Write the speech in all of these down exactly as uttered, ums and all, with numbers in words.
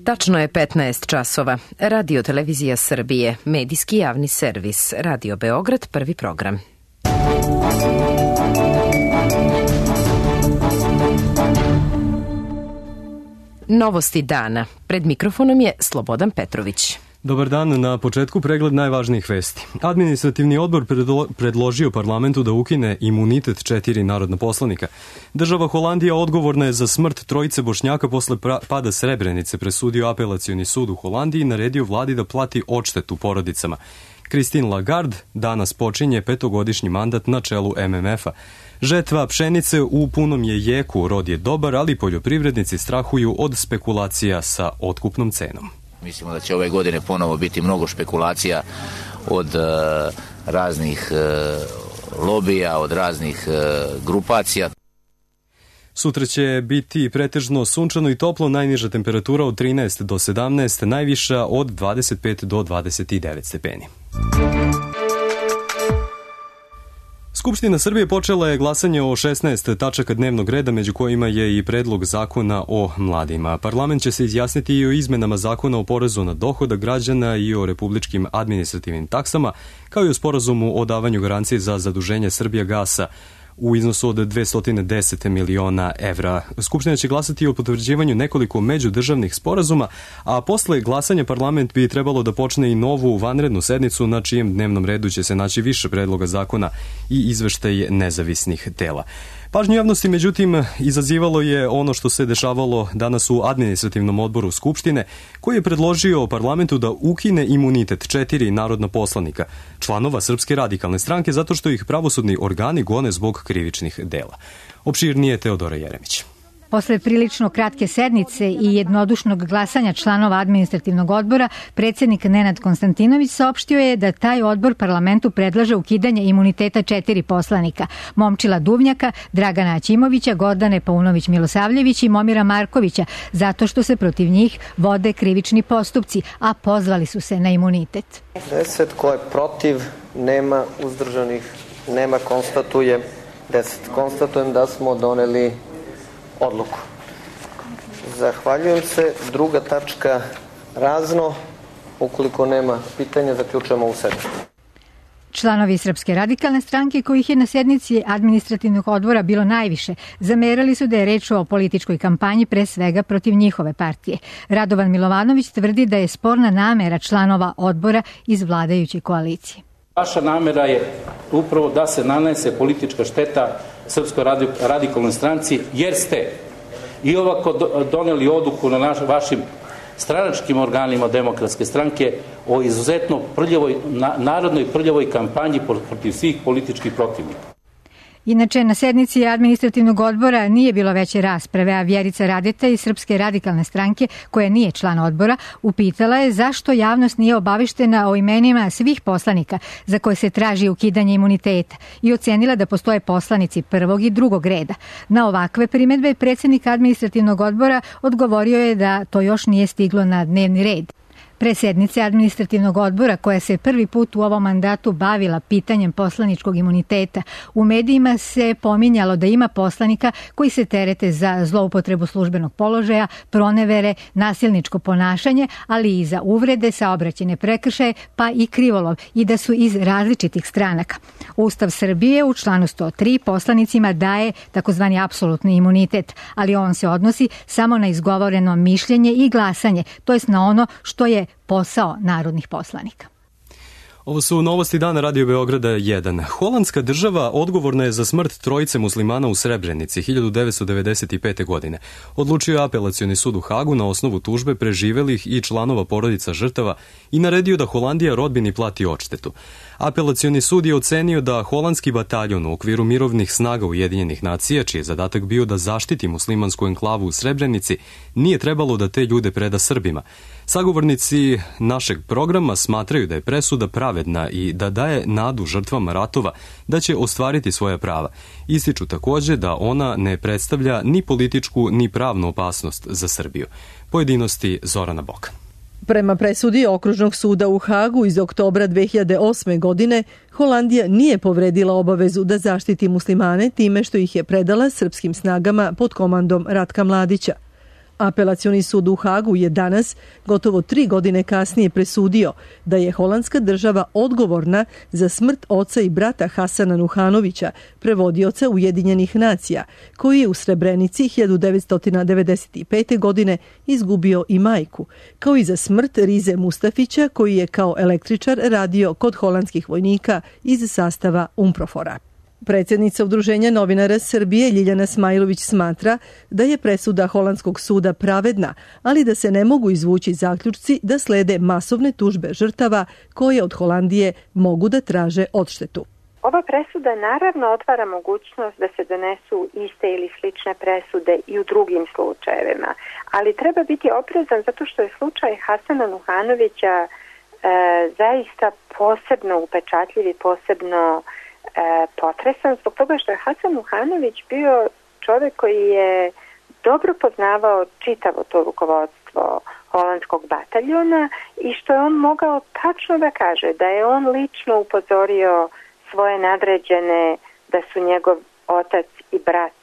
Tačno je petnaest časova. Radio Televizija Srbije, medijski javni servis, Radio Beograd, prvi program. Novosti dana. Pred mikrofonom je Slobodan Petrović. Dobar dan, na početku pregled najvažnijih vesti. Administrativni odbor predložio parlamentu da ukine imunitet četiri narodna poslanika. Država Holandija odgovorna je za smrt trojice Bošnjaka posle pada Srebrenice, presudio apelacioni sud u Holandiji i naredio vladi da plati odštetu porodicama. Christine Lagarde danas počinje petogodišnji mandat na čelu M M F-a. Žetva pšenice u punom je jeku, rod je dobar, ali poljoprivrednici strahuju od spekulacija sa otkupnom cenom. Mislimo da će ove godine ponovo biti mnogo špekulacija od uh, raznih uh, lobija, od raznih uh, grupacija. Sutra će biti pretežno sunčano i toplo, najniža temperatura od trinaest do sedamnaest, najviša od dvadeset pet do dvadeset devet stepeni. Skupština Srbije počela je glasanje o šesnaest tačaka dnevnog reda, među kojima je i predlog zakona o mladima. Parlament će se izjasniti i o izmenama zakona o porezu na dohodak građana i o republičkim administrativnim taksama, kao i o sporazumu o davanju garancije za zaduženje Srbijagasa u iznosu od dvesta deset miliona evra. Skupština će glasati o potvrđivanju nekoliko međudržavnih sporazuma, a posle glasanja parlament bi trebalo da počne i novu vanrednu sednicu na čijem dnevnom redu će se naći više predloga zakona i izveštaj nezavisnih tela. Pažnju javnosti, međutim, izazivalo je ono što se dešavalo danas u administrativnom odboru Skupštine, koji je predložio parlamentu da ukine imunitet četiri narodna poslanika, članova Srpske radikalne stranke, zato što ih pravosudni organi gone zbog krivičnih dela. Opširnije Teodora Jeremić. Posle prilično kratke sednice i jednodušnog glasanja članova administrativnog odbora, predsjednik Nenad Konstantinović saopštio je da taj odbor parlamentu predlaže ukidanje imuniteta četiri poslanika: Momčila Duvnjaka, Dragana Ćimovića, Gordane Paunović-Milosavljević i Momira Markovića, zato što se protiv njih vode krivični postupci, a pozvali su se na imunitet. Deset ko je protiv, nema uzdržanih, nema konstatuje deset. Konstatujem da smo doneli odluku. Zahvaljujem se. Druga tačka razno. Ukoliko nema pitanja, zaključujemo ovu sednicu. Članovi Srpske radikalne stranke, kojih je na sednici administrativnog odbora bilo najviše, zamerali su da je reč o političkoj kampanji, pre svega protiv njihove partije. Radovan Milovanović tvrdi da je sporna namera članova odbora iz vladajuće koalicije. Vaša namera je upravo da se nanese politička šteta Srpskoj radikalnoj stranci, jer ste i ovako doneli odluku na naš, vašim stranačkim organima Demokratske stranke o izuzetno prljavoj, narodnoj prljavoj kampanji protiv svih političkih protivnika. Inače, na sednici administrativnog odbora nije bilo veće rasprave, a Vjerica Radeta iz Srpske radikalne stranke, koja nije član odbora, upitala je zašto javnost nije obaveštena o imenima svih poslanika za koje se traži ukidanje imuniteta i ocenila da postoje poslanici prvog i drugog reda. Na ovakve primedbe predsjednik administrativnog odbora odgovorio je da to još nije stiglo na dnevni red. Pre sednice administrativnog odbora, koja se prvi put u ovom mandatu bavila pitanjem poslaničkog imuniteta, u medijima se pominjalo da ima poslanika koji se terete za zloupotrebu službenog položaja, pronevere, nasilničko ponašanje, ali i za uvrede, saobraćajne prekršaje, pa i krivolov, i da su iz različitih stranaka. Ustav Srbije u članu sto tri poslanicima daje takozvani apsolutni imunitet, ali on se odnosi samo na izgovoreno mišljenje i glasanje, to jest na ono što je posao narodnih poslanika. Ovo su novosti dana Radio Beograda jedan. Holandska država odgovorna je za smrt trojice muslimana u Srebrenici hiljadu devetsto devedeset pete. godine. Odlučio je apelacioni sud u Hagu na osnovu tužbe preživelih i članova porodica žrtava i naredio da Holandija rodbini plati odštetu. Apelacioni sud je ocenio da holandski bataljon u okviru mirovnih snaga Ujedinjenih nacija, čiji je zadatak bio da zaštiti muslimansku enklavu u Srebrenici, nije trebalo da te ljude preda Srbima. Sagovornici našeg programa smatraju da je presuda pravedna i da daje nadu žrtvama ratova da će ostvariti svoja prava. Ističu takođe da ona ne predstavlja ni političku ni pravnu opasnost za Srbiju. Pojedinosti Zorana Bokan. Prema presudi Okružnog suda u Hagu iz oktobra dve hiljade osme. godine, Holandija nije povredila obavezu da zaštiti muslimane time što ih je predala srpskim snagama pod komandom Ratka Mladića. Apelacioni sud u Hagu je danas, gotovo tri godine kasnije, presudio da je holandska država odgovorna za smrt oca i brata Hasana Nuhanovića, prevodioca Ujedinjenih nacija, koji je u Srebrenici hiljadu devetsto devedeset pete. godine izgubio i majku, kao i za smrt Rize Mustafića, koji je kao električar radio kod holandskih vojnika iz sastava Umprofora. Predsjednica Udruženja novinara Srbije Ljiljana Smajlović smatra da je presuda holandskog suda pravedna, ali da se ne mogu izvući zaključci da slede masovne tužbe žrtava koje od Holandije mogu da traže odštetu. Ova presuda naravno otvara mogućnost da se donesu iste ili slične presude i u drugim slučajevima, ali treba biti oprezan zato što je slučaj Hasana Nuhanovića e, zaista posebno upečatljiv i posebno E, potresan zbog toga što je Hasan Nuhanović bio čovjek koji je dobro poznavao čitavo to rukovodstvo holandskog bataljona i što je on mogao tačno da kaže da je on lično upozorio svoje nadređene da su njegov otac i brat,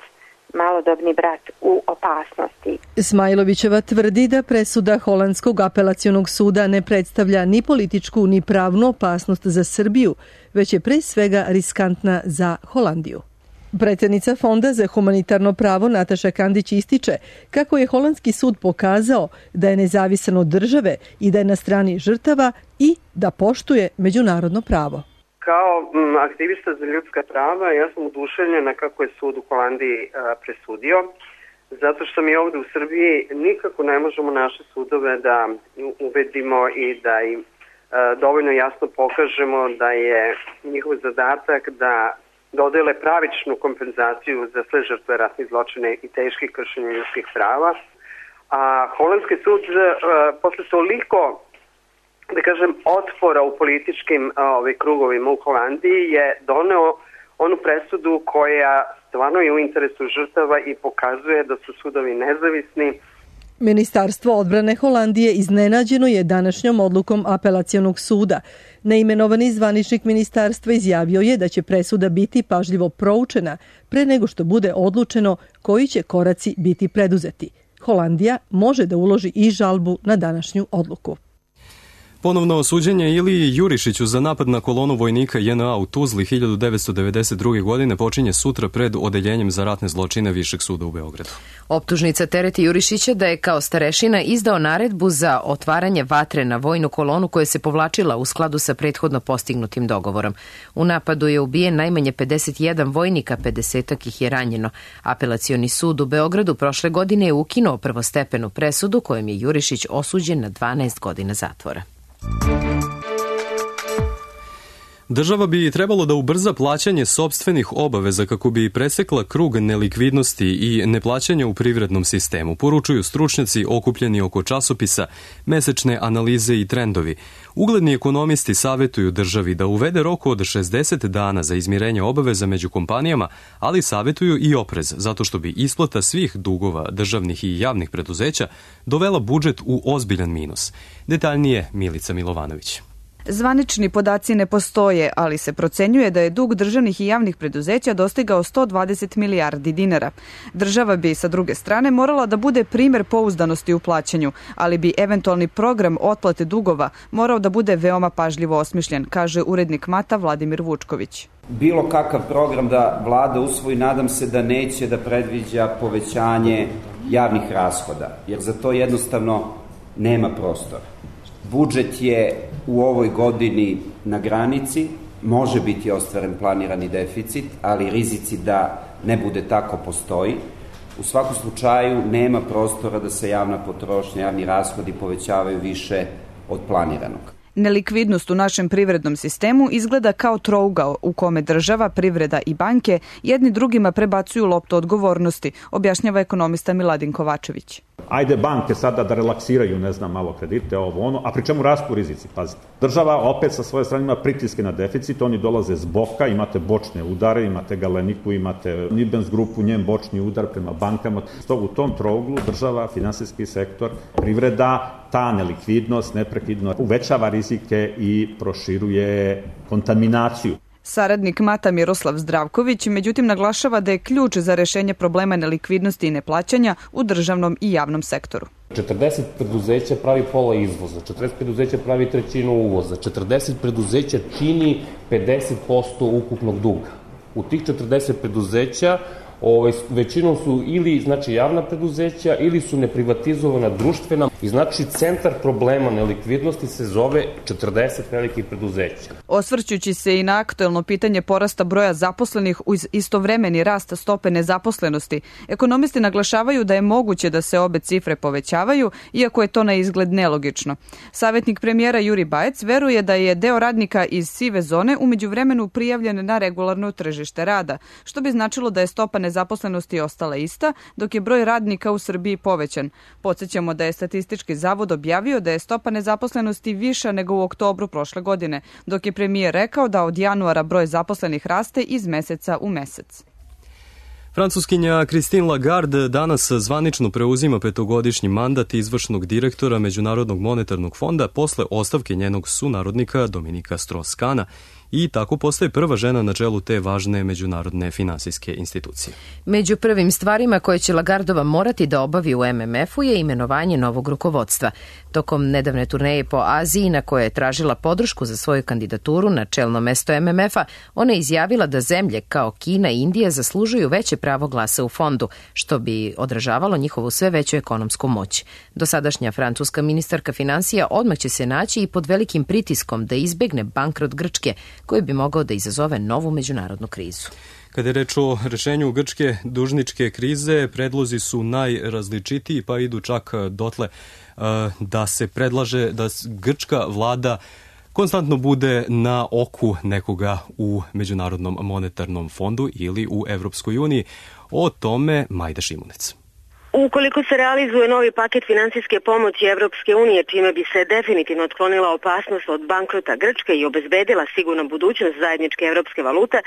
malodobni brat, u opasnosti. Smajlovićeva tvrdi da presuda holandskog apelacionog suda ne predstavlja ni političku ni pravnu opasnost za Srbiju, već je pre svega riskantna za Holandiju. Predsjednica Fonda za humanitarno pravo Nataša Kandić ističe kako je holandski sud pokazao da je nezavisan od države i da je na strani žrtava i da poštuje međunarodno pravo. Kao aktivista za ljudska prava, ja sam oduševljena kako je sud u Holandiji a, presudio, zato što mi ovdje u Srbiji nikako ne možemo naše sudove da uvedimo i da im a, dovoljno jasno pokažemo da je njihov zadatak da dodele pravičnu kompenzaciju za sve žrtve ratnih zločina i teških kršenja ljudskih prava. A holandski sud a, posle toliko da kažem, otpora u političkim ovaj, krugovima u Holandiji je doneo onu presudu koja stvarno je u interesu žrtava i pokazuje da su sudovi nezavisni. Ministarstvo odbrane Holandije iznenađeno je današnjom odlukom apelacionog suda. Neimenovani zvaničnik ministarstva izjavio je da će presuda biti pažljivo proučena pre nego što bude odlučeno koji će koraci biti preduzeti. Holandija može da uloži i žalbu na današnju odluku. Ponovno suđenje Iliji Jurišiću za napad na kolonu vojnika J N A u Tuzli hiljadu devetsto devedeset druge. godine počinje sutra pred Odeljenjem za ratne zločine Višeg suda u Beogradu. Optužnica tereti Jurišića da je kao starešina izdao naredbu za otvaranje vatre na vojnu kolonu koja se povlačila u skladu sa prethodno postignutim dogovorom. U napadu je ubijen najmanje pedeset jedan vojnika, pedesetak ih je ranjeno. Apelacioni sud u Beogradu prošle godine je ukinuo prvostepenu presudu kojom je Jurišić osuđen na dvanaest godina zatvora. Država bi trebalo da ubrza plaćanje sopstvenih obaveza kako bi presekla krug nelikvidnosti i neplaćanja u privrednom sistemu, poručuju stručnjaci okupljeni oko časopisa Mesečne analize i trendovi. Ugledni ekonomisti savjetuju državi da uvede rok od šezdeset dana za izmirenje obaveza među kompanijama, ali savjetuju i oprez, zato što bi isplata svih dugova državnih i javnih preduzeća dovela budžet u ozbiljan minus. Detaljnije Milica Milovanović. Zvanični podaci ne postoje, ali se procenjuje da je dug državnih i javnih preduzeća dostigao sto dvadeset milijardi dinara. Država bi, sa druge strane, morala da bude primer pouzdanosti u plaćanju, ali bi eventualni program otplate dugova morao da bude veoma pažljivo osmišljen, kaže urednik Mata Vladimir Vučković. Bilo kakav program da vlada usvoji, nadam se da neće da predviđa povećanje javnih rashoda, jer za to jednostavno nema prostora. Budžet je u ovoj godini na granici, može biti ostvaren planirani deficit, ali rizici da ne bude tako postoji. U svakom slučaju nema prostora da se javna potrošnja, javni rashodi povećavaju više od planiranog. Nelikvidnost u našem privrednom sistemu izgleda kao trougao u kome država, privreda i banke jedni drugima prebacuju loptu odgovornosti, objašnjava ekonomista Miladin Kovačević. Ajde banke sada da relaksiraju, ne znam, malo kredite, ovo ono, a pri čemu rastu rizici, pazite. Država opet sa svoje strane ima pritiske na deficit, oni dolaze z boka, imate bočne udare, imate Galeniku, imate Nibens grupu, njen bočni udar prema bankama. U tom trouglu država, finansijski sektor, privreda, ta nelikvidnost neprekidno uvećava rizike i proširuje kontaminaciju. Saradnik Mata Miroslav Zdravković međutim naglašava da je ključ za rešenje problema nelikvidnosti i neplaćanja u državnom i javnom sektoru. četrdeset preduzeća pravi pola izvoza, četrdeset preduzeća pravi trećinu uvoza, četrdeset preduzeća čini pedeset posto ukupnog duga. U tih četrdeset preduzeća Ovaj, većinom su ili znači, javna preduzeća ili su neprivatizovana društvena i znači centar problema nelikvidnosti se zove četrdeset velikih preduzeća. Osvrćući se i na aktuelno pitanje porasta broja zaposlenih uz istovremeni rast stope nezaposlenosti, ekonomisti naglašavaju da je moguće da se obe cifre povećavaju, iako je to na izgled nelogično. Savjetnik premijera Juri Bajec veruje da je deo radnika iz sive zone u međuvremenu prijavljen na regularno tržište rada, što bi značilo da je stopa nezaposlenosti ostala ista, dok je broj radnika u Srbiji povećan. Podsjećamo da je Statistički zavod objavio da je stopa nezaposlenosti viša nego u oktobru prošle godine, dok je premijer rekao da od januara broj zaposlenih raste iz meseca u mesec. Francuskinja Christine Lagarde danas zvanično preuzima petogodišnji mandat izvršnog direktora Međunarodnog monetarnog fonda posle ostavke njenog sunarodnika Dominika Strauss-Kahna i tako postaje prva žena na čelu te važne međunarodne finansijske institucije. Među prvim stvarima koje će Lagardova morati da obavi u M M F-u je imenovanje novog rukovodstva. Tokom nedavne turneje po Aziji na koje je tražila podršku za svoju kandidaturu na čelno mesto M M F-a, ona je izjavila da zemlje kao Kina i Indija zaslužuju veće pravo glasa u fondu, što bi odražavalo njihovu sve veću ekonomsku moć. Dosadašnja francuska ministarka finansija odmah će se naći i pod velikim pritiskom da izbegne bankrot Grčke, koji bi mogao da izazove novu međunarodnu krizu. Kada je reč o rešenju grčke dužničke krize, predlozi su najrazličitiji, pa idu čak dotle da se predlaže da grčka vlada konstantno bude na oku nekoga u Međunarodnom monetarnom fondu ili u Evropskoj uniji. O tome Majda Šimunec. Ukoliko se realizuje novi paket finansijske pomoći Evropske unije, čime bi se definitivno otklonila opasnost od bankrota Grčke i obezbedila sigurna budućnost zajedničke evropske valute,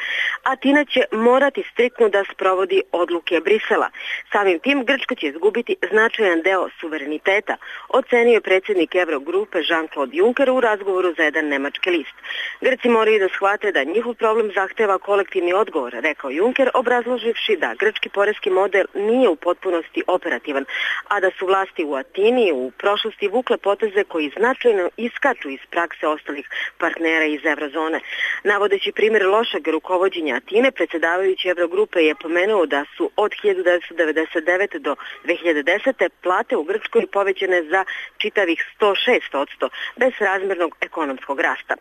Atina će morati striktno da sprovodi odluke Brisela. Samim tim Grčka će izgubiti značajan deo suvereniteta, ocenio je predsjednik Eurogrupe Jean-Claude Juncker u razgovoru za jedan nemački list. Grci moraju da shvate da njihov problem zahteva kolektivni odgovor, rekao Juncker, obrazloživši da grčki poreski model nije u potpunosti operativan, a da su vlasti u Atini u prošlosti vukle poteze koji značajno iskaču iz prakse ostalih partnera iz eurozone. Navodeći primjer lošeg rukovođenja Atine, predsjedavajući Eurogrupe je pomenuo da su od hiljadu devetsto devedeset devete. do dve hiljade desete. plate u Grčkoj povećane za čitavih sto šest posto bez razmjernog ekonomskog rasta.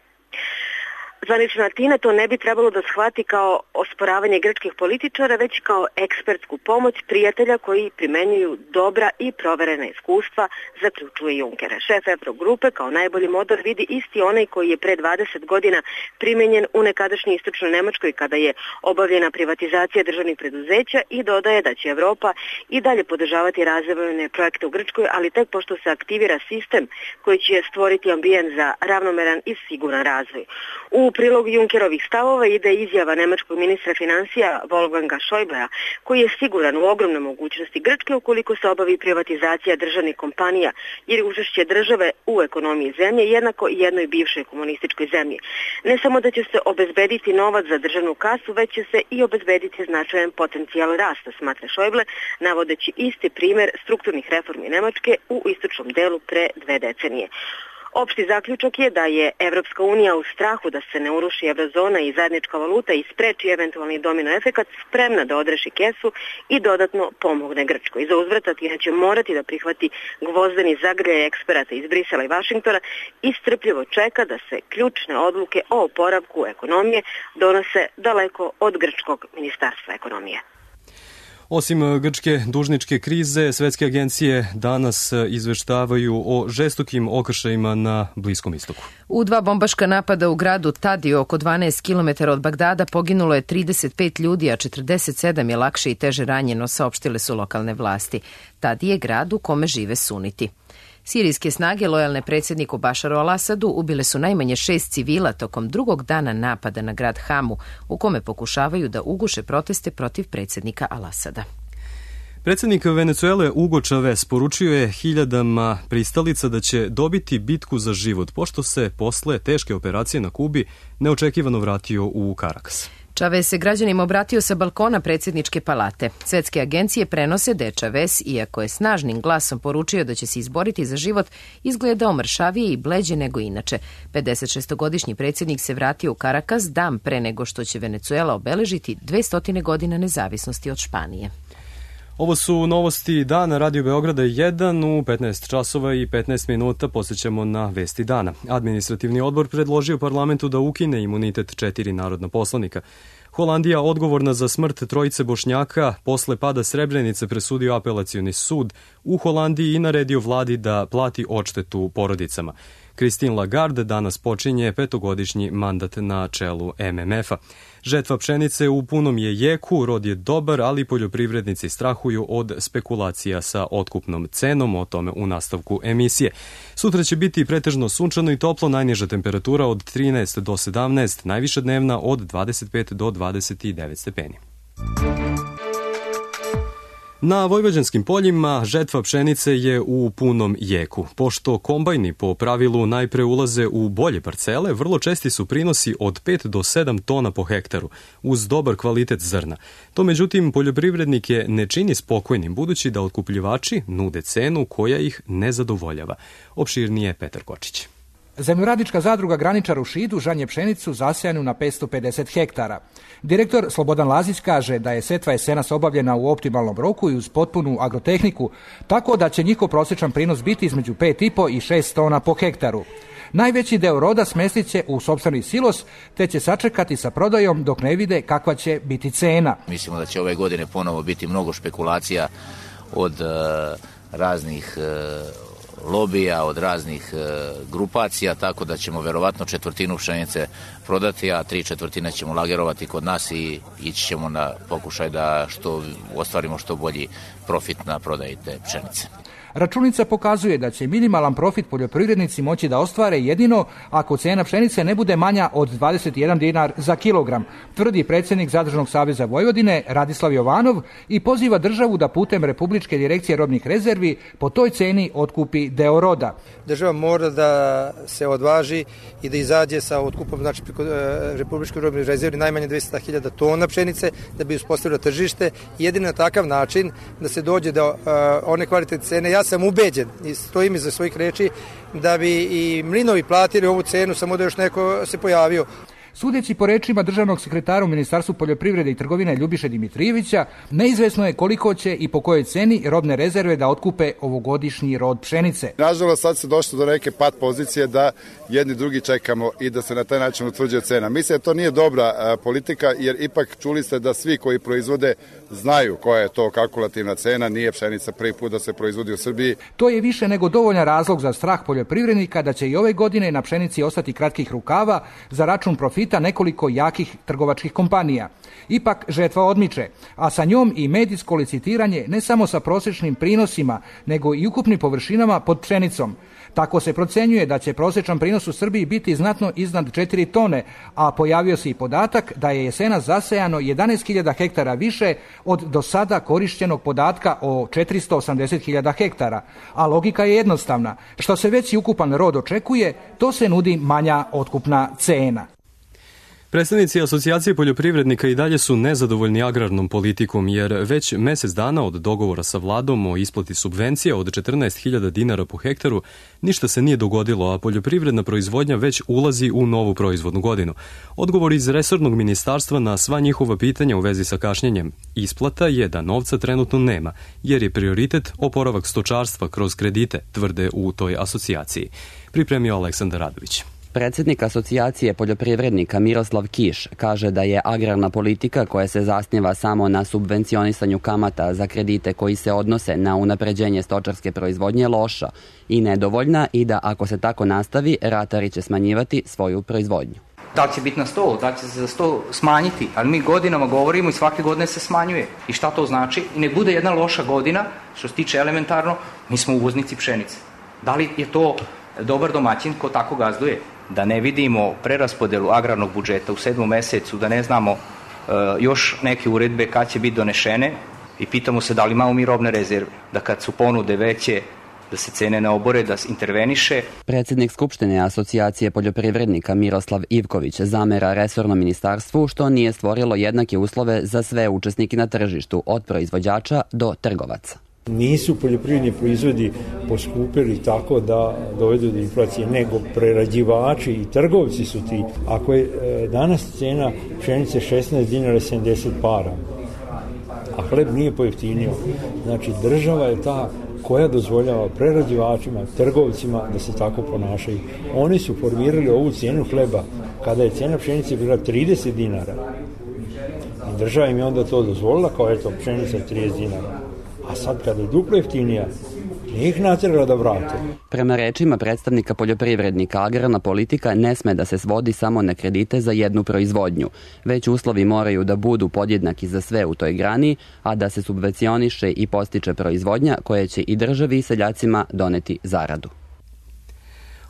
Zvanična Atina to ne bi trebalo da shvati kao osporavanje grčkih političara, već kao ekspertsku pomoć prijatelja koji primenjuju dobra i proverena iskustva, zaključuje Juncker. Šef Eurogrupe kao najbolji model vidi isti onaj koji je pre dvadeset godina primenjen u nekadašnjoj istočnoj Nemačkoj kada je obavljena privatizacija državnih preduzeća i dodaje da će Evropa i dalje podržavati razvojne projekte u Grčkoj, ali tek pošto se aktivira sistem koji će stvoriti ambijent za ravnomeran i siguran razvoj. U prilog Junckerovih stavova ide izjava nemačkog ministra financija Wolfganga Schäublea, koji je siguran u ogromne mogućnosti Grčke ukoliko se obavi privatizacija državnih kompanija, jer je učešće države u ekonomiji zemlje jednako i jednoj bivšoj komunističkoj zemlji. Ne samo da će se obezbediti novac za državnu kasu, već će se i obezbediti značajan potencijal rasta, smatra Schäuble, navodeći isti primjer strukturnih reformi Nemačke u istočnom delu pre dve decenije. Opšti zaključak je da je Evropska unija u strahu da se ne uruši eurozona i zajednička valuta i spreči eventualni domino efekat spremna da odreši kesu i dodatno pomogne Grčkoj. Za uzvrat Atina će morati da prihvati gvozdeni zagrljaj eksperata iz Brisela i Vašingtona i strpljivo čeka da se ključne odluke o oporavku ekonomije donose daleko od grčkog ministarstva ekonomije. Osim grčke dužničke krize, svetske agencije danas izveštavaju o žestokim okršajima na Bliskom istoku. U dva bombaška napada u gradu Tadi, oko dvanaest kilometara od Bagdada, poginulo je trideset pet ljudi, a četrdeset sedam je lakše i teže ranjeno, saopštile su lokalne vlasti. Tadi je grad u kome žive suniti. Sirijske snage, lojalne predsjedniku Bašaru al-Asadu, ubile su najmanje šest civila tokom drugog dana napada na grad Hamu, u kome pokušavaju da uguše proteste protiv predsjednika al-Asada. Predsjednik Venecuele Hugo Chavez poručio je hiljadama pristalica da će dobiti bitku za život, pošto se posle teške operacije na Kubi neočekivano vratio u Karakas. Chavez se građanima obratio sa balkona predsjedničke palate. Svetske agencije prenose da je Chavez, iako je snažnim glasom poručio da će se izboriti za život, izgledao mršavije i bleđe nego inače. pedesetšestogodišnji predsjednik se vratio u Karakas dan pre nego što će Venecuela obeležiti dvesta godina nezavisnosti od Španije. Ovo su novosti dana Radio Beograda jedan u petnaest časova i petnaest minuta. Posjećamo na vesti dana. Administrativni odbor predložio parlamentu da ukine imunitet četiri narodna poslanika. Holandija, odgovorna za smrt trojice Bošnjaka, posle pada Srebrenice presudio apelacioni sud u Holandiji i naredio vladi da plati odštetu porodicama. Christine Lagarde danas počinje petogodišnji mandat na čelu M M F-a. Žetva pšenice u punom je jeku, rod je dobar, ali poljoprivrednici strahuju od spekulacija sa otkupnom cenom, o tome u nastavku emisije. Sutra će biti pretežno sunčano i toplo, najniža temperatura od trinaest do sedamnaest, najviša dnevna od dvadeset pet do dvadeset devet stepeni. Na vojvođanskim poljima žetva pšenice je u punom jeku. Pošto kombajni po pravilu najpre ulaze u bolje parcele, vrlo česti su prinosi od pet do sedam tona po hektaru, uz dobar kvalitet zrna. To međutim poljoprivrednike ne čini spokojnim, budući da otkupljivači nude cenu koja ih ne zadovoljava. Opširnije Petar Kočić. Zemljoradnička zadruga Graničar u Šidu žanje pšenicu zasejanu na petsto pedeset hektara. Direktor Slobodan Lazić kaže da je setva jesenas obavljena u optimalnom roku i uz potpunu agrotehniku, tako da će njihov prosječan prinos biti između pet i po i šest tona po hektaru. Najveći deo roda smestit će u sopstveni silos, te će sačekati sa prodajom dok ne vide kakva će biti cena. Mislimo da će ove godine ponovo biti mnogo špekulacija od uh, raznih uh, lobija, od raznih e, grupacija, tako da ćemo verovatno četvrtinu pšenice prodati, a tri četvrtine ćemo lagerovati kod nas i ići ćemo na pokušaj da što ostvarimo što bolji profit na prodaji te pšenice. Računica pokazuje da će minimalan profit poljoprivrednici moći da ostvare jedino ako cena pšenice ne bude manja od dvadeset jedan dinar za kilogram, tvrdi predsjednik Zadružnog saveza Vojvodine Radislav Jovanov i poziva državu da putem Republičke direkcije robnih rezervi po toj ceni otkupi deo roda. Država mora da se odvaži i da izađe sa otkupom, znači preko Republičke robnih rezervi najmanje dvesta hiljada tona pšenice da bi uspostavila tržište. Jedino na takav način da se dođe do uh, one kvalitetne cene. Ja sam ubeđen i stojim iza svojih reči da bi i mlinovi platili ovu cenu, samo da još neko se pojavio. Sudeći po rečima državnog sekretara u Ministarstvu poljoprivrede i trgovine Ljubiše Dimitrijevića, neizvesno je koliko će i po kojoj ceni robne rezerve da otkupe ovogodišnji rod pšenice. Nažalost, sad se došlo do neke pat pozicije da jedni drugi čekamo i da se na taj način utvrđuje cena. Mislim da to nije dobra a, politika, jer ipak čuli ste da svi koji proizvode znaju koja je to kalkulativna cena, nije pšenica prvi put da se proizvodi u Srbiji. To je više nego dovoljan razlog za strah poljoprivrednika da će i ove godine na pšenici ostati kratkih rukava za račun profita nekoliko jakih trgovačkih kompanija. Ipak žetva odmiče, a sa njom i medijsko licitiranje ne samo sa prosječnim prinosima, nego i ukupnim površinama pod pšenicom. Tako se procenjuje da će prosječan prinos u Srbiji biti znatno iznad četiri tone, a pojavio se i podatak da je jesenas zasejano jedanaest hiljada hektara više od do sada korišćenog podatka o četiristo osamdeset hiljada hektara. A logika je jednostavna. Što se veći ukupan rod očekuje, to se nudi manja otkupna cena. Predstavnici Asocijacije poljoprivrednika i dalje su nezadovoljni agrarnom politikom, jer već mesec dana od dogovora sa vladom o isplati subvencija od četrnaest hiljada dinara po hektaru ništa se nije dogodilo, a poljoprivredna proizvodnja već ulazi u novu proizvodnu godinu. Odgovor iz resornog ministarstva na sva njihova pitanja u vezi sa kašnjenjem isplata je da novca trenutno nema, jer je prioritet oporavak stočarstva kroz kredite, tvrde u toj asocijaciji. Pripremio Aleksandar Radović. Predsjednik Asocijacije poljoprivrednika Miroslav Kiš kaže da je agrarna politika koja se zasniva samo na subvencionisanju kamata za kredite koji se odnose na unapređenje stočarske proizvodnje loša i nedovoljna i da ako se tako nastavi, ratari će smanjivati svoju proizvodnju. Da li će biti na sto, da li će se za sto smanjiti, ali mi godinama govorimo i svake godine se smanjuje. I šta to znači? I nek bude jedna loša godina, što se tiče elementarno, mi smo uvoznici pšenice. Da li je to dobar domaćin ko tako gazduje? Da ne vidimo preraspodelu agrarnog budžeta u sedmom mesecu, da ne znamo uh, još neke uredbe kad će biti donešene, I pitamo se da li imamo mi robne rezerve, da kad su ponude veće, da se cene ne obore, da se interveniše. Predsjednik Skupštine Asocijacije poljoprivrednika Miroslav Ivković zamera resornom ministarstvu što nije stvorilo jednake uslove za sve učesnike na tržištu, od proizvođača do trgovaca. Nisu poljoprivredni proizvodi poskupili tako da dovedu do inflacije, nego prerađivači i trgovci su ti. Ako je danas cena pšenice šesnaest dinara sedamdeset para, a hleb nije pojeftinio, znači država je ta koja dozvoljava prerađivačima, trgovcima da se tako ponašaju. Oni su formirali ovu cijenu hleba kada je cijena pšenice bila trideset dinara. I država im je onda to dozvolila kao eto pšenica trideset dinara. A sad kada je duplo jeftinija, nije ih natjerala da vrate. Prema rečima predstavnika poljoprivrednika, agrarna politika ne sme da se svodi samo na kredite za jednu proizvodnju, već uslovi moraju da budu podjednaki za sve u toj grani, a da se subvencioniše i postiče proizvodnja koja će i državi i seljacima doneti zaradu.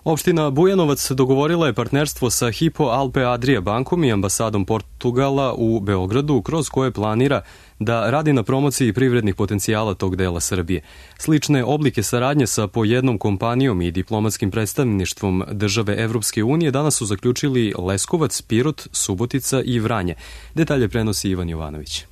Opština Bujanovac dogovorila je partnerstvo sa Hypo Alpe Adria bankom i ambasadom Portugala u Beogradu, kroz koje planira da radi na promociji privrednih potencijala tog dela Srbije. Slične oblike saradnje sa po jednom kompanijom i diplomatskim predstavništvom države Evropske unije danas su zaključili Leskovac, Pirot, Subotica i Vranje. Detalje prenosi Ivan Jovanović.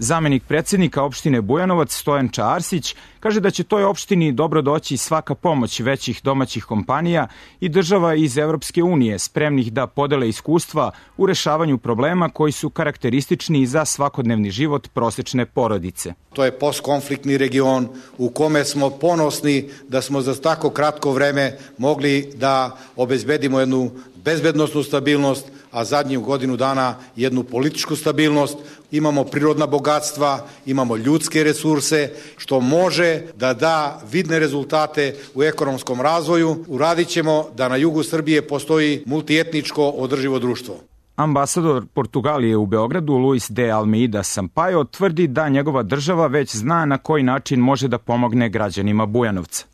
Zamenik predsjednika opštine Bujanovac Stojan Čarsić kaže da će toj opštini dobro doći svaka pomoć većih domaćih kompanija i država iz Evropske unije spremnih da podele iskustva u rešavanju problema koji su karakteristični za svakodnevni život prosečne porodice. To je postkonfliktni region u kome smo ponosni da smo za tako kratko vreme mogli da obezbedimo jednu bezbednosnu stabilnost, a zadnju godinu dana jednu političku stabilnost. Imamo prirodna bogatstva, imamo ljudske resurse, što može da da vidne rezultate u ekonomskom razvoju. Uradit ćemo da na jugu Srbije postoji multietničko održivo društvo. Ambasador Portugalije u Beogradu, Luis de Almeida Sampaio, tvrdi da njegova država već zna na koji način može da pomogne građanima Bujanovca.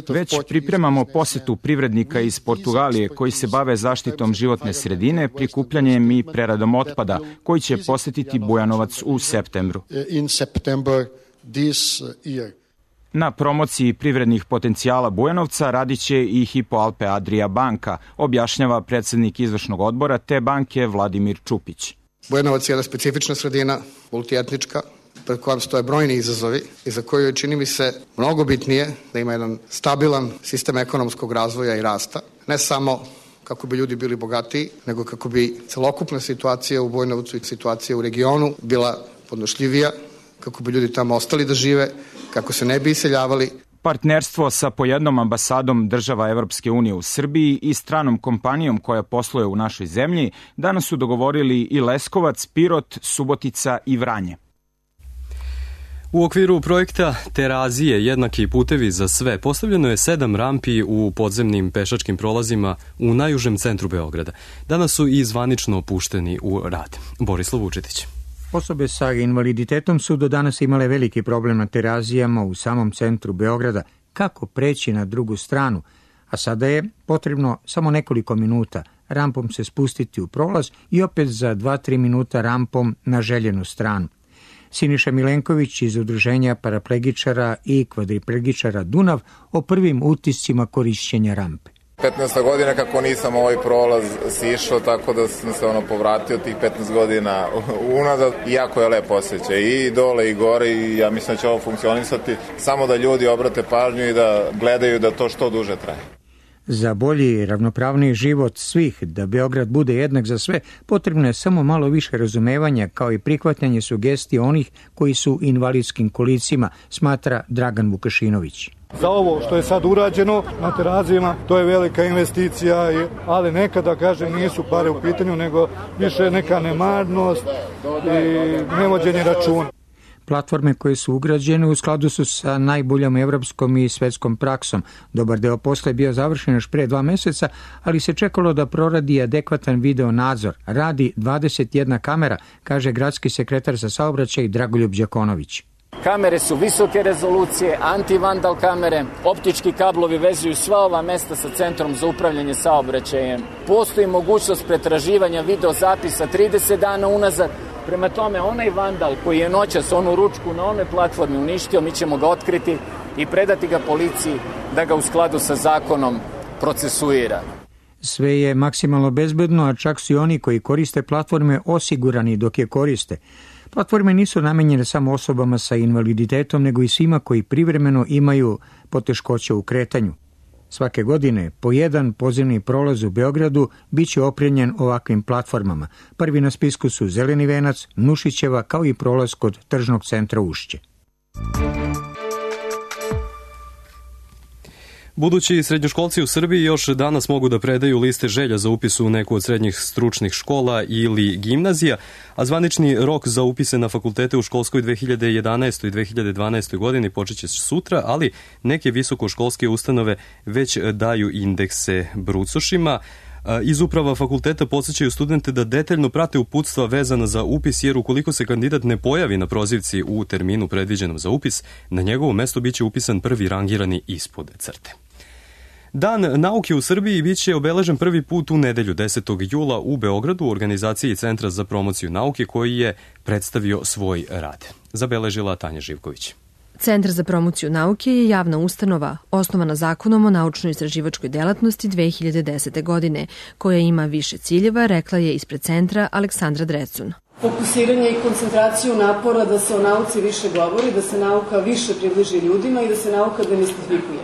Već pripremamo posetu privrednika iz Portugalije koji se bave zaštitom životne sredine, prikupljanjem i preradom otpada, koji će posetiti Bujanovac u septembru. Na promociji privrednih potencijala Bujanovca radit će i Hypo Alpe Adria banka, objašnjava predsjednik izvršnog odbora te banke Vladimir Čupić. Bujanovac je jedna specifična sredina, multietnička, pred kojom stoje brojni izazovi i za koju je, čini mi se, mnogo bitnije da ima jedan stabilan sistem ekonomskog razvoja i rasta. Ne samo kako bi ljudi bili bogatiji, nego kako bi celokupna situacija u Bujanovcu i situacija u regionu bila podnošljivija, kako bi ljudi tamo ostali da žive, kako se ne bi iseljavali. Partnerstvo sa po jednom ambasadom država Evropske unije u Srbiji i stranom kompanijom koja posluje u našoj zemlji danas su dogovorili i Leskovac, Pirot, Subotica i Vranje. U okviru projekta Terazije, jednaki putevi za sve, postavljeno je sedam rampi u podzemnim pešačkim prolazima u najužem centru Beograda. Danas su i zvanično pušteni u rad. Borislav Vučetić. Osobe sa invaliditetom su do danas imale veliki problem na Terazijama u samom centru Beograda. Kako preći na drugu stranu? A sada je potrebno samo nekoliko minuta rampom se spustiti u prolaz i opet za dva do tri minuta rampom na željenu stranu. Siniša Milenković iz Udruženja paraplegičara i kvadriplegičara Dunav o prvim utiscima korišćenja rampe. petnaesta godina kako nisam ovaj prolaz sišao, tako da sam se ono povratio tih petnaest godina unazad. Jako je lepo osjećaj i dole i gore i ja mislim da će ovo funkcionisati. Samo da ljudi obrate pažnju i da gledaju da to što duže traje. Za bolji i ravnopravniji život svih, da Beograd bude jednak za sve, potrebno je samo malo više razumevanja kao i prihvatanje sugestija onih koji su u invalidskim kolicima, smatra Dragan Vukašinović. Za ovo što je sad urađeno na Terazijama, to je velika investicija, ali nekada, kažem, nisu pare u pitanju, nego više neka nemarnost i nevođenje računa. Platforme koje su ugrađene u skladu su sa najboljom evropskom i svetskom praksom. Dobar deo posla je bio završen još pre dva meseca, ali se čekalo da proradi adekvatan video nadzor. Radi dvadeset jedna kamera, kaže gradski sekretar za saobraćaj Dragoljub Đakonović. Kamere su visoke rezolucije, antivandal kamere, optički kablovi vezuju sva ova mesta sa centrom za upravljanje saobraćajem. Postoji mogućnost pretraživanja videozapisa trideset dana unazad, Prema tome, onaj vandal koji je noćas onu ručku na onoj platformi uništio, mi ćemo ga otkriti i predati ga policiji da ga u skladu sa zakonom procesuira. Sve je maksimalno bezbedno, a čak su i oni koji koriste platforme osigurani dok je koriste. Platforme nisu namenjene samo osobama sa invaliditetom, nego i svima koji privremeno imaju poteškoće u kretanju. Svake godine po jedan podzemni prolaz u Beogradu biće opremljen ovakvim platformama. Prvi na spisku su Zeleni venac, Nušićeva, kao i prolaz kod tržnog centra Ušće. Budući srednjoškolci u Srbiji još danas mogu da predaju liste želja za upis u neku od srednjih stručnih škola ili gimnazija, a zvanični rok za upise na fakultete u školskoj dve hiljade jedanaestoj i dve hiljade dvanaestoj godini počeće sutra, ali neke visokoškolske ustanove već daju indekse brucošima. Iz uprava fakulteta podsjećaju studente da detaljno prate uputstva vezana za upis, jer ukoliko se kandidat ne pojavi na prozivci u terminu predviđenom za upis, na njegovo mesto biće upisan prvi rangirani ispod crte. Dan nauke u Srbiji biće obeležen prvi put u nedelju desetog jula u Beogradu u organizaciji Centra za promociju nauke, koji je predstavio svoj rad. Zabeležila Tanja Živković. Centar za promociju nauke je javna ustanova osnovana zakonom o naučno-istraživačkoj delatnosti dve hiljade desete. godine, koja ima više ciljeva, rekla je ispred centra Aleksandra Drecun. Fokusiranje i koncentraciju napora da se o nauci više govori, da se nauka više približi ljudima i da se nauka demistifikuje.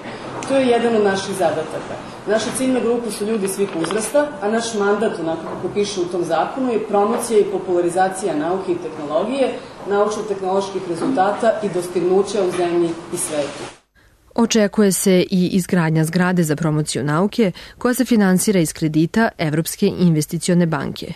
To je jedan od naših zadataka. Naša ciljna grupa su ljudi svih uzrasta, a naš mandat, onako kako piše u tom zakonu, je promocija i popularizacija nauke i tehnologije, naučno-tehnoloških rezultata i dostignuća u zemlji i svetu. Očekuje se i izgradnja zgrade za promociju nauke, koja se finansira iz kredita Evropske investicione banke.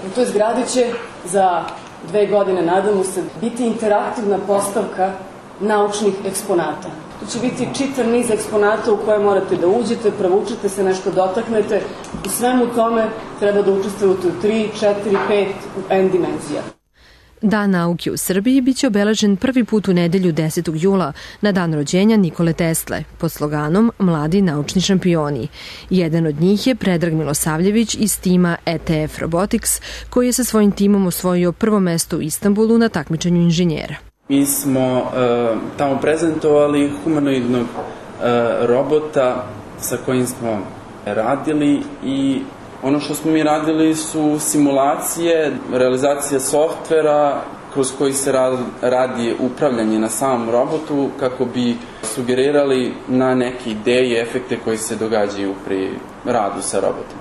U toj zgradi će za dve godine, nadamo se, biti interaktivna postavka naučnih eksponata. To će biti čitav niz eksponata u koje morate da uđete, provučete se, nešto dotaknete. U svemu tome treba da učestvujete u tri, četiri, pet N dimenzija. Dan nauke u Srbiji biće obeležen prvi put u nedelju desetog jula na dan rođenja Nikole Tesle pod sloganom Mladi naučni šampioni. Jedan od njih je Predrag Milosavljević iz tima E T F Robotics, koji je sa svojim timom osvojio prvo mesto u Istanbulu na takmičenju inženjera. Mi smo uh, tamo prezentovali humanoidnog uh, robota sa kojim smo radili i ono što smo mi radili su simulacije, realizacija softvera kroz koji se radi upravljanje na samom robotu kako bi sugerirali na neke ideje i efekte koji se događaju pri radu sa robotom.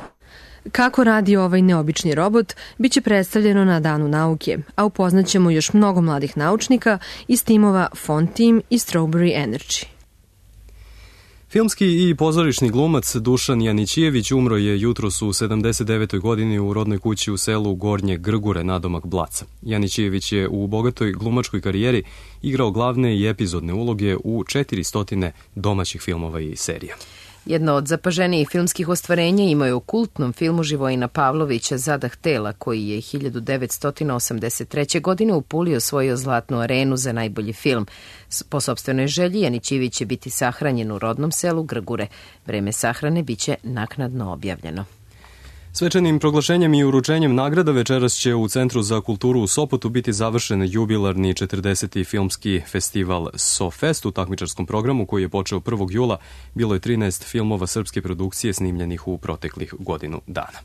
Kako radi ovaj neobični robot, biće predstavljeno na Danu nauke, a upoznaćemo još mnogo mladih naučnika iz timova Font Team i Strawberry Energy. Filmski i pozorišni glumac Dušan Janićijević umro je jutros u sedamdeset devetoj godini u rodnoj kući u selu Gornje Grgure, nadomak Blaca. Janićijević je u bogatoj glumačkoj karijeri igrao glavne i epizodne uloge u četiristo domaćih filmova i serija. Jedno od zapaženijih filmskih ostvarenja imao je u kultnom filmu Živojina Pavlovića Zadah tela, koji je hiljadu devetsto osamdeset treće. godine u Puli osvojio Zlatnu arenu za najbolji film. Po sopstvenoj želji Janićijević će biti sahranjen u rodnom selu Grgure. Vreme sahrane biće naknadno objavljeno. Svečanim proglašenjem i uručenjem nagrada večeras će u Centru za kulturu u Sopotu biti završen jubilarni četrdeseti filmski festival SoFest. U takmičarskom programu, koji je počeo prvog jula, bilo je trinaest filmova srpske produkcije snimljenih u proteklih godinu dana.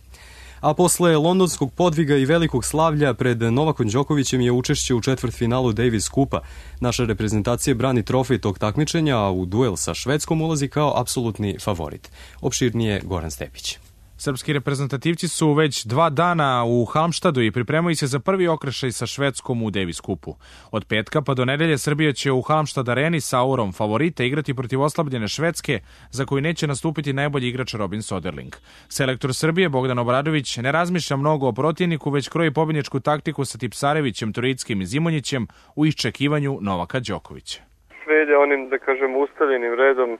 A posle londonskog podviga i velikog slavlja pred Novakom Đokovićem je učešće u četvrtfinalu Davis Kupa. Naša reprezentacija brani trofej tog takmičenja, a u duel sa Švedskom ulazi kao apsolutni favorit. Opširnije Goran Stepić. Srpski reprezentativci su već dva dana u Halmštadu i pripremaju se za prvi okršaj sa Švedskom u Davis Kupu. Od petka pa do nedelje Srbija će u Halmštad areni sa aurom favorita igrati protiv oslabljene Švedske, za koju neće nastupiti najbolji igrač Robin Soderling. Selektor Srbije Bogdan Obradović ne razmišlja mnogo o protivniku, već kroji pobjedničku taktiku sa Tipsarevićem, Turickim i Zimonjićem u iščekivanju Novaka Đokovića. Sve ide onim, da kažem, ustaljenim redom.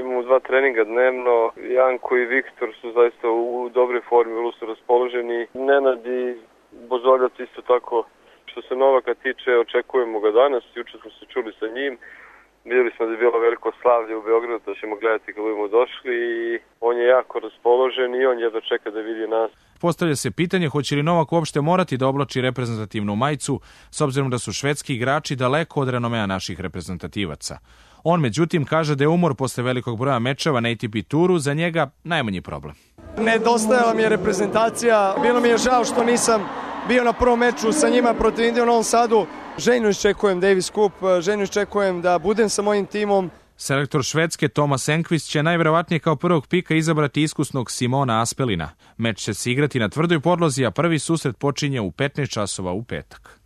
Imamo dva treninga dnevno, Janko i Viktor su zaista u dobroj formi, vrlo su raspoloženi. Nenad i Bozoljac isto tako. Što se Novaka tiče, očekujemo ga danas, juče smo se čuli sa njim. Vidjeli smo da je bilo veliko slavlje u Beogradu, da ćemo gledati kad budemo došli i on je jako raspoložen i on jedva čeka da vidi nas. Postavlja se pitanje hoće li Novak uopšte morati da oblači reprezentativnu majicu, s obzirom da su švedski igrači daleko od renomea naših reprezentativaca. On, međutim, kaže da je umor posle velikog broja mečeva na A T P turu za njega najmanji problem. Nedostajala mi je reprezentacija, bilo mi je žao što nisam bio na prvom meču sa njima protiv Indije u Novom Sadu. Željno iščekujem Davis Cup, željno iščekujem da budem sa mojim timom. Selektor Švedske Tomas Enqvist će najverovatnije kao prvog pika izabrati iskusnog Simona Aspelina. Meč će se igrati na tvrdoj podlozi, a prvi susret počinje u petnaest časova u petak.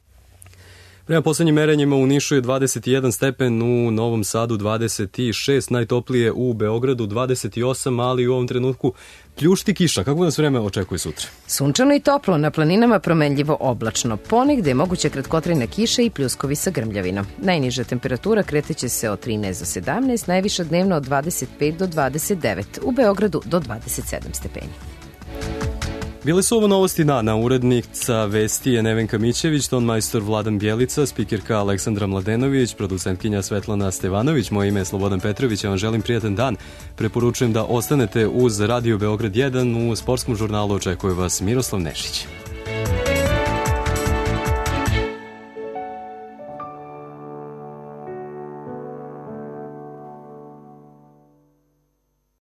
Prema poslednjim merenjima u Nišu je dvadeset jedan stepen, u Novom Sadu dvadeset šest, najtoplije u Beogradu dvadeset osam, ali u ovom trenutku pljušti kiša. Kako nas vreme očekuje sutra? Sunčano i toplo, na planinama promenljivo oblačno. Ponegde je moguća kratkotrajna kiša i pljuskovi sa grmljavinom. Najniža temperatura kreteće se od trinaest do sedamnaest, najviša dnevno od dvadeset pet do dvadeset devet, u Beogradu do dvadeset sedam stepeni. Bile su ovo novosti dana, urednica vesti je Nevenka Mićević, tonmajstor Vladan Bjelica, spikerka Aleksandra Mladenović, producentkinja Svetlana Stevanović, moje ime je Slobodan Petrović, ja vam želim prijatan dan. Preporučujem da ostanete uz Radio Beograd jedan, u sportskom žurnalu očekuje vas Miroslav Nešić.